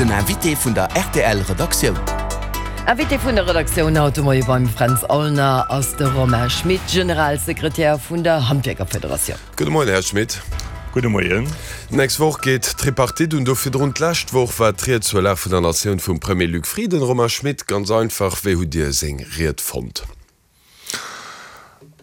Den Invité vun der rtl Redaktioun. Invité vun der Redaktioun haut de Moie beim Fränz Aulner ass de Romain Schmit, Generalsekretär vun der Handwierkerfederatioun. Gudde Moien, Här Schmit. Gudde Moien. D'nächst Woch geet d'Tripartite un. Do virdrun, d'lescht Woch war d'Ried zur Lag vun der Natioun vum Premier Luc Frieden. Romain Schmit, ganz einfach, wéi hutt Dir seng Ried fonnt?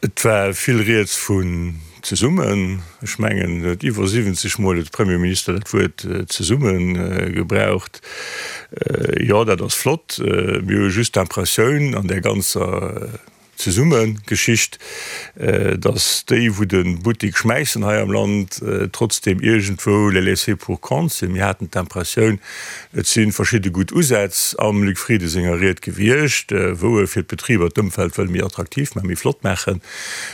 Et war vill rieds vun zesummen. Ech mengen, et iwwer 70 Mol huet de Premierminister dat Wuert zesummen gebraucht. Jo, dat ass flott. Mir hu just d'Impressioun an där ganzer Zesummegeschicht, datt déi, wou de Buttik schmäissen hei am Land, trotzdeem iergendwou les laissés pour compte sinn. Mir haten d'Impressioun, Et si verschidde gutt Usätz am Luc Frieden senger Ried gewiescht, wou e fir d'Betriber d'Ëmfeld wëll méi attraktiv maachen, méi flott maachen.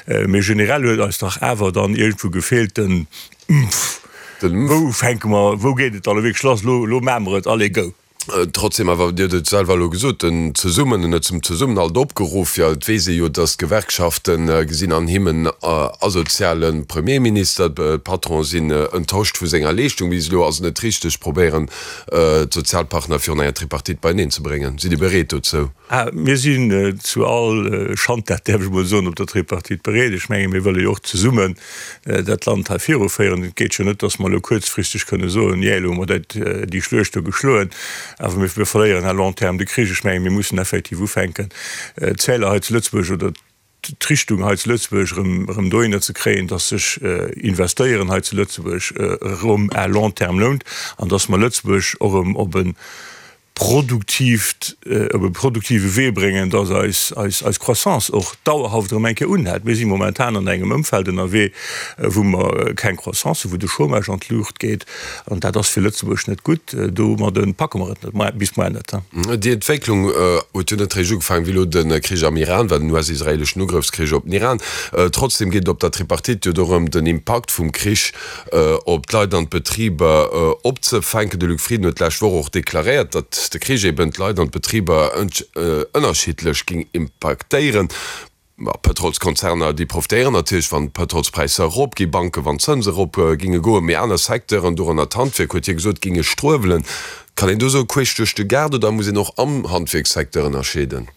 Mee generell huet eis dach awer dann iergendwou gefeelt den Mpf. Wou fänke mer, wou geet et dann elo wierklech lass? Elo, elo maache mer et, allez go! Trotzdem awer, Dir hutt et selwer elo gesot, den Zesummen, en huet zum Zesummenhalt opgeruff. Jo, et weess ee jo, datt d'Gewerkschafte gesinn an him en asoziale Premierminister. D'Patronen sinn enttäuscht vu senger Leeschtung bis elo. Ass et net richteg, probéieren, d'Sozialpartner virun enger Tripartite beieneen ze bréngen? Sidd Dir bereet dozou? Mir sinn zu all Schandtat, däerf ech emol soen, op der Tripartite bereet. Ech menge mir wëlle jo och zesummen dat Land hei viruféieren. Et geet jo net, datt mer elo kuerzfristeg kënne soen, jee, elo hu mer dat, déi Schluecht do geschloen, awer mir verléieren à long terme de Krich. Ech menge mir mussen effektiv ufänken, d'Zäler hei zu Lëtzebuerg oder d'Richtung hei zu Lëtzebuerg erëm dohinner ze kréien, dass sech Investéieren hei zu Lëtzebuerg erëm à long terme lount an dass mer Lëtzebuerg och erëm op e produktiivt, op e produktive Wee bréngen, dass eis, eis, eis Croissance och dauerhaft erëm eng Kéier unhält. Mir si momentan an engem Ëmfeld ënnerwee, wou mer keng Croissance hunn, wou de Chômage an d'Luucht geet. An dat ass fir Lëtzebuerg net gutt. Domadde packe mer et net, bis muer net. Déi Entwécklung huet jo net réischt ugefaangen, wéi elo de Krich am Iran war, den US-israeeleschen Ugrëffskrich op den Iran. Trotzdem geet et op der Tripartite jo dorëm, den Impakt vum Krich op d'Leit an d'Betriber opzefänken. De Luc Frieden huet d'lescht Woch och deklaréiert, datt de Krich eben d'Leit an d'Betriber ënnerschiddlech géing impaktéieren. Pëtrolskonzerner, déi profitéieren natierlech, wann d'Pëtrolspräisser erop ginn, Banken, wann d'Zënse erop ginge goen, mee aner Secteuren, dorënner d'Handwierk, huet hie gesot, ginge struewelen. Kann een do soe queesch duerch de Gaart oder muss een och am Handwierkssecteur ënnerscheeden?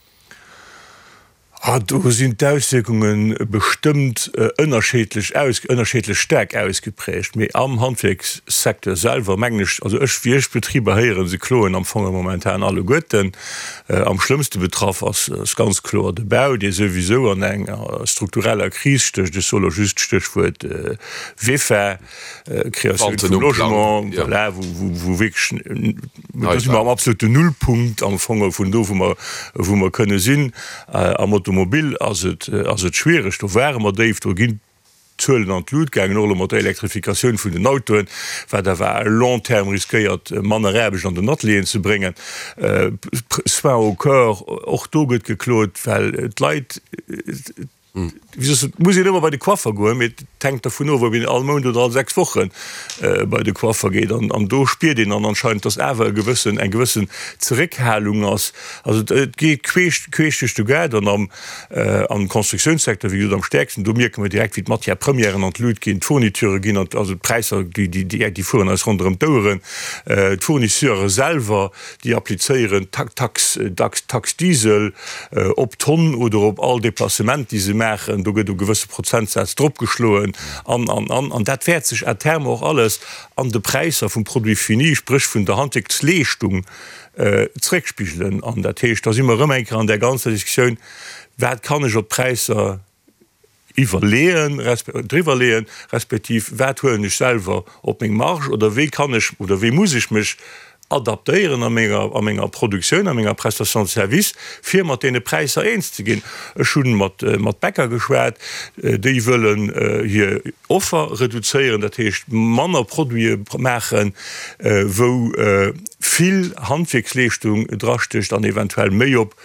Do sinn d'Auswierkunge bestëmmt ënnerscheedlech aus, ënnerscheedlech staark ausgeprägt. Mee am Handwierkssecteur selwer mengen ech, also ech, wéi ech d'Betriber héieren, se kloen am Fong momentan alleguerten. Am schlëmmste betraff ass ganz kloer de Bau, dee souwisou an enger struktureller Kris stécht. Ech soe lo just d'Stéchwuert VEFA, Créatioun vum Logement, voilà, wou wierklech, do si mer am absoluten Nullpunkt am Fong vun do, wou mer, wou mer kënne sinn. Am Automobil ass et, ass et schwiereg, do ware mer déif, do ginn d'Zuelen an d'Lut gaangen, och elo mat der Elektrifikatioun vun den Autoen, wat awer à long terme riskéiert, manner Aarbecht an den Atelieren ze bréngen. Soins au cœur, och do gëtt geklot, well d'Leit, wéi soss, et muss een ëmmer bei de Coiffer goen, mee et hänkt dervun of, ob een all Mount oder all 6 Woche bei de Coiffer geet. An do spiert een dann anscheinend, dass awer e gewëssen, eng gewëssen Zeréckhalung ass. Also et geet queesch, queesch duerch de Gaart an am Am Constructiounssecteur, wéi gesot, am stäerksten. Do mierke mer direkt, wéi d'Matière-premièren an d'Lut ginn, d'Fourniturë ginn an, also d'Präisser, déi fueren eis ronderëm d'Oueren. D'Fournisseure selwer, déi applizéieren Tax, dacks Taxe Diesel op d'Tonn oder op all Deplacement, déi se maachen. Do gëtt e gewësse Prozentsaz dropgeschloen an, an, an. An dat wäert sech à terme och alles an de Präisser vum Produit fini, spréch vun der Handwierksleeschtung, zréckspigelen. An dat heescht, da si mer erëm eng Kéier an där ganzer Diskussioun, Wat kann ech op d'Präisser iwwerleeën, driwwerleeën, respektiv wat huelen ech selwer op meng Marge oder wéi kann ech oder wéi muss ech mech adaptéieren a menger, a menger Produktioun, a menger Prestation de service, fir mat deene Präisser eens ze ginn. Ech hu mat, mat Bäcker geschwat, déi wëllen hir Offer reduzéieren, dat heescht manner Produite maachen, wou vill Handwierksleeschtung drastécht an eventuell méi op,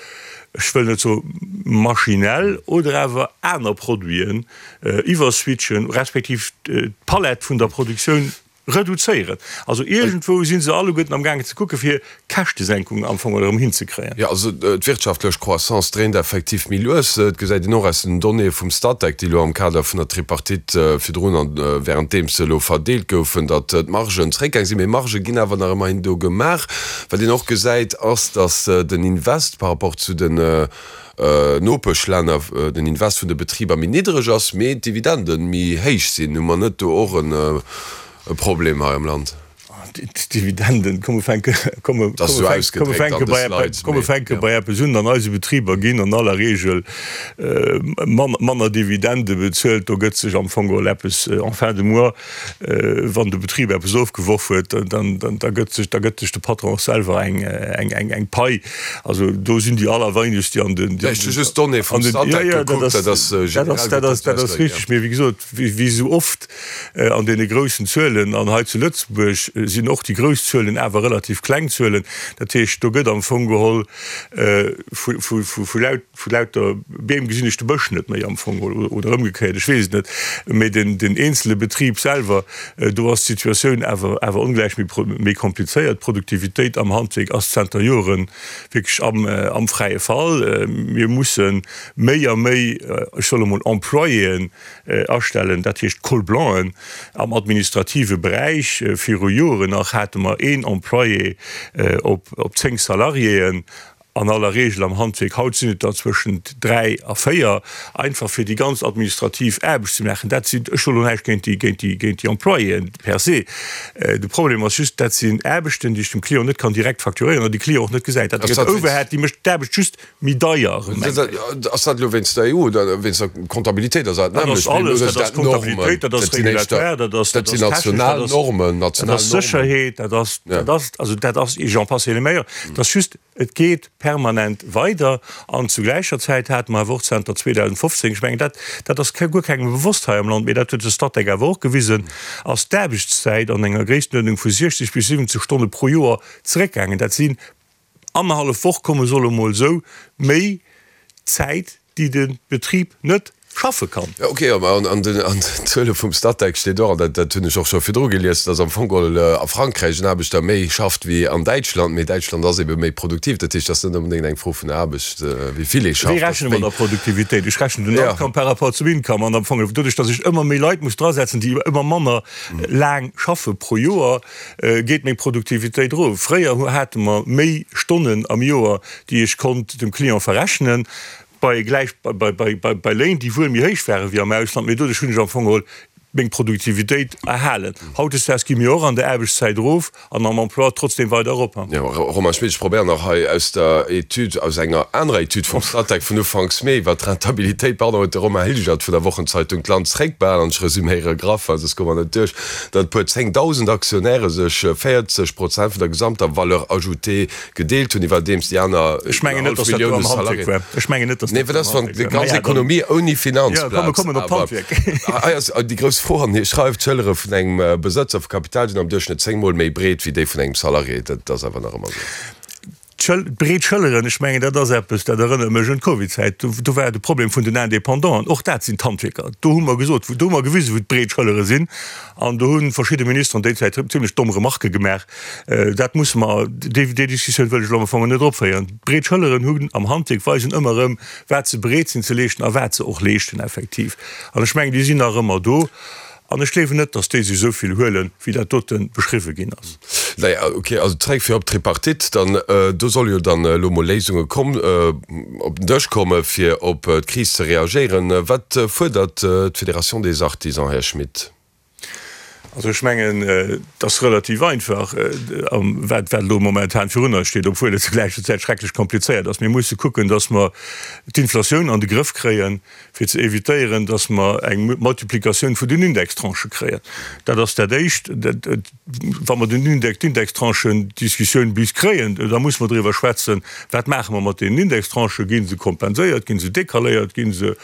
ech wëll net soe maschinell, oder awer aner Produiten iwwerswitchen, respektiv d'Palett vun der Produktioun. Reduzéieren. Also iergendwou si se alleguerten amgaangen ze kucke fir Käschtesenkungen am Fong erëm hinzekréien. Jo, also d'wirtschaftlech Croissance dréint effektiv méi lues. Et gesäit een och aus den Donnéeë vum Statec, déi elo am Kader vun der Tripartite virdrun an wärenddeems se elo verdeelt goufen, datt d'Margen zeréckgaang sinn. Mee Margë ginn awer nach ëmmerhin do gemaach. Wat een och gesäit, ass, datt den Invest par rapport zu den Nopeschlänner den Invest vun de Betriber méi niddreg ass, mee d'Dividende méi héich sinn. Hu mer net do och e Problem hei am Land? D'Dividenden, komm mer fänke, komm mer fänke bei eppes, komm mer fänke bei eppes un, An eise Betriber ginn an aller Regel manner Dividende bezuelt. Do gëtt sech am Fong geholl eppes en fin de mois Wann de Betrib eppes ofgeworf huet, dann da gëtt sech da gëtt sech de Patron och selwer eng eng eng eng Pai. Also do sinn déi allerweinegst, déi an den déi Ech hu just d'Donnéeë vum Statec gekuckt, dat ass generell gëtt dat dat ass richteg. Mee wéi gesot, wéi wéi esou oft an deene groussen Zuelen, an hei zu Lëtzebuerg sinn och déi grouss Zuelen awer relativ kleng Zuelen, dat heescht do gëtt am Fong geholl vu vu vu laut, Vu lauter Beem gesinn ech de Bësch net méi am Fong, oder ëmgekéiert, ech weess et net. Mee den eenzele Betrib selwer, do ass d'Situatioun awer awer ongläich méi méi komplizéiert. D'Produktivitéit am Handwierk ass zanter Jore wierklech am am fräie Fall. Mir musse méi a méi, ech soll emol Employéen astellen, dat heescht Col-blancen am administrative Beräich. Viru Joren nach hate mer een Employé op op 10 Salariéen. An aller Regel am Handwierk, haut sinn et der zwëschent 3 a 4, einfach fir déi ganz administrativ Aarbecht ze maachen. Dat sinn, ech soen elo näischt géint déi, géint déi, géint déi Employéen per se, de Problem ass just, dat sinn Aarbechten, déi ech dem Client net kann direkt facturéieren an déi Client och net gesäit. Dat gëtt Overhead, déi mécht d'Aarbecht just méi deier. Ass dat elo wéinst der EU oder wéinst der Comptabilitéit? Ass dat nämmlecht? Dat ass alles, dat ass Comptabilitéit, dat ass Regulatoire, dat ass, dat sinn national Normen, dat ass Sécherheet, dat ass, dat ass, also dat ass, j'en passe et les meilleurs. Dat ass just, Et geet permanent weider. An zu gläicher Zäit hate mer awer och zanter 2015, ech mengen, dat, dat ass guer kengem bewosst hei am Land, mee dat huet de Statec awer och gewisen, ass d'Aarbechtszäit an enger Gréisstenuerdnung vu 60 bis 70 Stonne pro Joer zeréckgaangen. Dat sinn annerhallef Woch, komme soll emol esou, méi Zäit, déi de Betrib net schaffe kann. Jo, ok, mä an den Zuele vum Statec steet och, an dat hunn ech och scho virdru gelies, datt am Fong geholl a Frankräich en Aarbechter méi schafft wéi an Däitschland, mee Däitschland ass ebe méi produktiv. Dat heescht, et ass net onbedéngt eng Fro vun der Aarbecht, wéi vill ee schafft. Wéi rechne mer da Produktivitéit? Ech rechnen den Outcome par rapport zum Income an am Fong, doduerch datt ech ëmmer méi Leit muss drasetzen, déi ëmmer manner laang schaffe pro Joer, geet meng Produktivitéit erof. Fréier hate mer méi Stonnen am Joer, déi ech konnt dem Client verrechnen, bei gläich bei Léin, déi wuel méi héich ware wéi am Ausland, mee doduerch hunn ech am Fong geholl meng Produktivitéit erhalen. Hautdesdaags gi mir och an der Aarbechtszäit erof an am Emploi trotzdem weider erop. Jo, Romain Schmit, ech probéieren nach hei aus der Etüd, aus enger anerer Etüd vum Statec vun ufanks Mee iwwert d'Rentabilitéit, pardon, huet de Romain Hilgert vun der Wochenzeitung d'Land zréckbehalen, an ech resüméiere graff, well soss komme mer net duerch, datt e puer 10.000 Aktionäre sech 40 Prozent vun der gesamter Valeur ajoutée gedeelt hunn, iwwerdeems déi aner Ech mengen net, dass dat do am Handwierk war. Ech mengen net, dass dat do am Handwierk war. Nee, dat ass wann déi ganz Ekonomie ouni Finanzplaz. Jo, komm, mir kommen op d'Handwierk. Hei ass déi grouss Fro, an hie schreift, D'Schëllere vun engem Besëtzer vu Kapital sinn am Duerchschnëtt 10 Mol méi breet wéi déi vun engem Salarié. Dat ass awer nach ëmmer esou. D'breet Schëlleren, ech mengen, dat ass eppes, dat erënnert mech un d'Covidzäit. Do war de Problem vun den Independanten, och dat sinn d'Handwierker. Do hu mer gesot, do hu mer gewisen, wou d'breet Schëllere sinn. An do hu verschidde Ministeren déi Zäit zimlech domm Remarquë gemaach. Dat musse mer, déi Diskussioun wëll ech elo am Fong net opféieren. D'breet Schëlleren hunn am Handwierk, weisen ëmmer erëm, wat se bereet sinn ze leeschten a wat se och leeschten effektiv. An ech mengen, déi sinn nach ëmmer do. An ech gleewen net, datt déi sech esou vill huelen, wéi dat dote beschriwwe ginn ass. Naja, ok, also zréck fir op d'Tripartite dann. Do solle jo dann elo mol Léisunge komm, op den Dësch komme fir op d'Kris ze reagéieren. Wat fuerdert d'Fédération des Artisans, Här Schmit? Also ech mengen, et ass relativ einfach, wat elo momentan virun eis steet, obwuel et zur gläicher Zäit schrecklech komplizéiert ass. Mir musse kucken, datt mer d'Inflatioun an de Grëff kréien, fir ze évitéieren, datt mer eng Multiplikatioun vun den Indextranchë kréien. Dat ass dat Éischt. Wa mer den Index, d'Indextranchen-Diskussioun bis kréien, da musse mer driwwer schwätzen, Wat maache mer mat deenen Indextranchen? Gi se kompenséiert? Gi se decaléiert? Gi se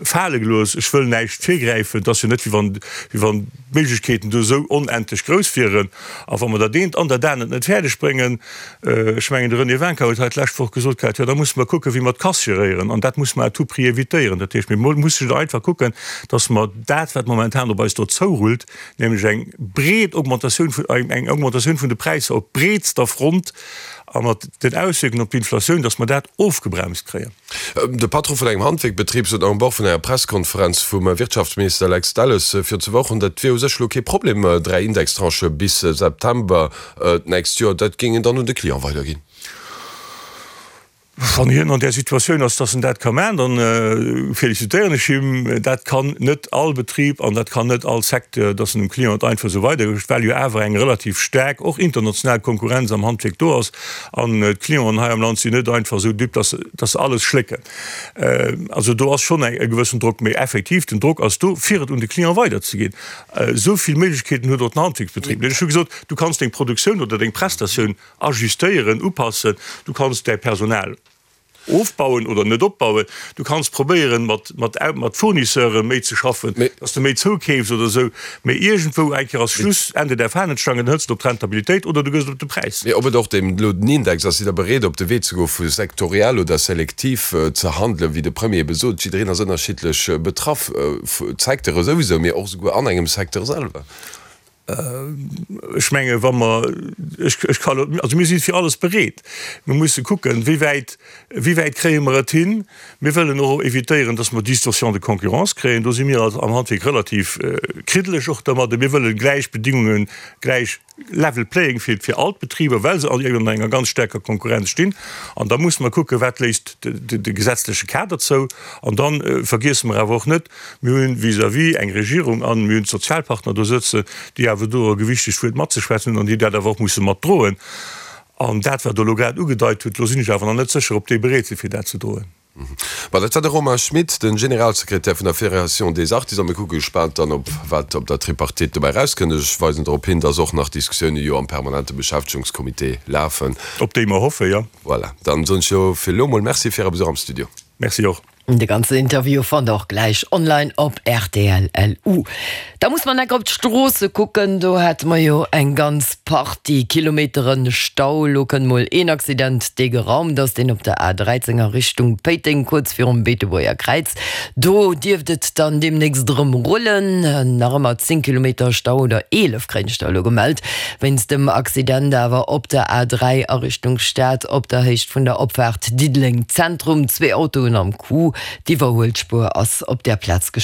fale gelooss? Ech wëll näischt virgräifen. Et ass jo net, wéi wann, wéi wann d'Méiglechkeeten. do esou onendlech grouss wieren. A wa mer dat eent an dat anert net fäerdeg bréngen, ech mengen de René Wincker huet hei d'lescht Woch gesot gehat, jo da musse mer kucken, wéi mer d'Casse geréieren. An dat musse mer à tout prix évitéieren. Dat heescht, mir musse jo einfach kucken, datt mer dat, wat momentan op eis do zourullt, nämlech eng breet Augmentatioun vun, eng Augmentatioun vun de Präisser op breetster Front a mat den Auswierkungen op d'Inflatioun, datt mer dat ofgebremst kréien. De Patron vun engem Handwierkbetrib sot am Bord vun enger Presskonferenz vum Wirtschaftsminister Lex Delles virun zwou Wochen, dat wier u sech elo kee Problem, 3 Indextranchë bis September d'nächst Joer, dat géing een dann un de Client weiderginn. Wann hien an där Situatioun ass, datt en dat ka maachen, da felicitéieren ech him. Dat kann net all Betrib an dat kann net all Secteur, datt en dem Client einfach esou weidergëtt, well jo awer eng relativ staark, och international Konkurrenz am Handwierk do ass. An d'Clienten hei am Land sinn net einfach esou dupe, dass dass se alles schlécken. Also do ass schonn e gewëssen Drock. Mee effektiv, den Drock ass do, fir et un de Client weiderzeginn. Esou vill Méiglechkeeten huet och den Handwierksbetrib net. Ech hu gesot, du kanns deng Produktioun oder deng Prestatioun ajustéieren, upassen, du kanns däi Personal Ofbauen oder net opbauen. Du kanns probéieren, mat, mat, mat Fournisseure méi ze schaffen, dass de méi zoukeefs oder esou. Mee iergendwou eng Kéier ass Schluss, Ende der Fahnenstange, dann hëls de op d'Rentabilitéit oder du gëss et op de Präis. Mee ob et och deem elo den Index ass, sidd Der bereet, op de Wee ze goen, vu sektoriell oder selektiv ze handelen, wéi de Premier ebe sot, jiddereen ass ënnerschiddlech betraff, d'Secteure souwisou, mee och esouguer an engem Secteur selwer? Ech menge wa mer, ech, ech ka lo, also mir si fir alles bereet. Mir musse kucken, wéi wäit, wéi wäit kréie mer et hin. Mir wëllen och évitéieren, datt mer Distorsion de concurrence kréien. Do si mir als am Handwierk relativ kriddeleg och dermadde. Mir wëlle gläich Bedingungen, gläich level playing field fir all d'Betriber, well se all ënner enger ganz staarker Konkurrenz stinn. An da musse mer kucken, wat léisst de, de gesetzleche Kader zou. An da vergiesse mer awer och net, Mir hunn vis-à-vis eng Regierung an mir hunn d'Sozialpartner do sëtzen, déi awer do e gewichtegt Wuert matzeschwätzen hunn an déi dat awer och musse matdroen. An dat, wat Der elo grad ugedeit hutt, do sinn ech awer nach net sécher, ob déi bereet sinn, fir dat ze droen. Ma dat war de Romain Schmit, de Generalsekretär vun der Fédération des Artisans. Mir kucke gespaant dann op, wat op der Tripartite dobäi erauskënnt. Ech weisen drop hin, dass och nach Diskussioune jo am permanente Beschäftegungscomité lafen. Op déi mer hoffen, jo. Voilà, dann soen ech jo fir elo emol Merci fir Äre Besuch am Studio. Merci och. De ganzen Interview fannt der och gläich online op rtl.lu. Da muss mer enk op d'Stroosse kucken, do hate mer jo eng ganz Partie Kilometeren Stau. Lo kënnt mol een Accident, dee geraumt ass, deen op der A13 a Richtung Péiteng, kuerz virum Beetebuerger Kräiz. Do dierft et dann deemnächst erëm rullen. Nach ëmmer 10 Kilometer Stau oder 11 kréien ech der elo gemellt, wéinst dem Accident awer op der A3 a Richtung Stad op der Héicht vun der Opfaart Diddeleng Zentrum. Zwee Autoen am Coup, d'Iwwerhuelspuer ass op där Plaz gespaart.